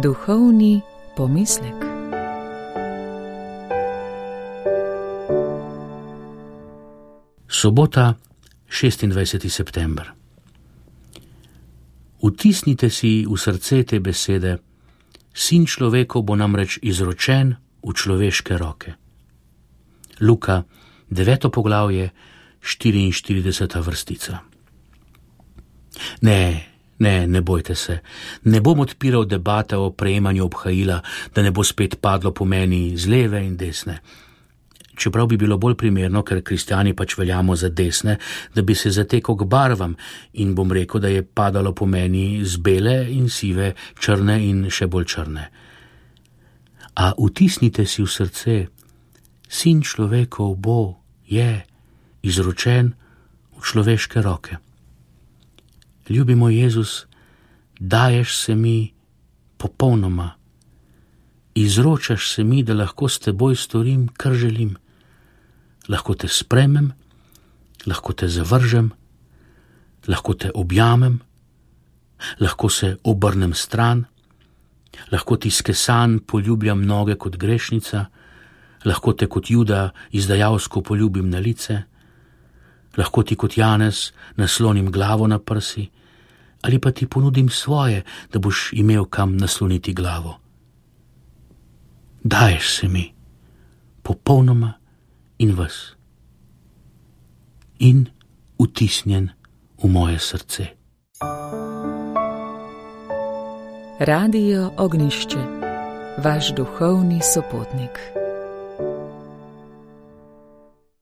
Duhovni pomislek. Sobota, 26. september. Vtisnite si v srce te besede: Sin človekov bo namreč izročen v človeške roke. Luka, 9. poglavje, 44. vrstica. Ne bojte se, ne bom odpiral debate o prejemanju obhajila, da ne bo spet padlo po meni z leve in desne. Čeprav bi bilo bolj primerno, ker kristjani pač veljamo za desne, da bi se zatekal k barvam in bom rekel, da je padalo po meni z bele in sive, črne in še bolj črne. A vtisnite si v srce: Sin človekov je izročen v človeške roke. Ljubi moj Jezus, daješ se mi popolnoma, izročaš se mi, da lahko s teboj storim, kar želim. Lahko te sprejmem, lahko te zavržem, lahko te objamem, lahko se obrnem stran, lahko ti skesan poljubljam noge kot grešnica, lahko te kot Juda izdajalsko poljubim na lice, lahko ti kot Janez naslonim glavo na prsi, ali pa ti ponudim svoje, da boš imel kam nasloniti glavo. Daješ se mi popolnoma in ves in vtisnjen v moje srce. Radio Ognjišče, vaš duhovni sopotnik.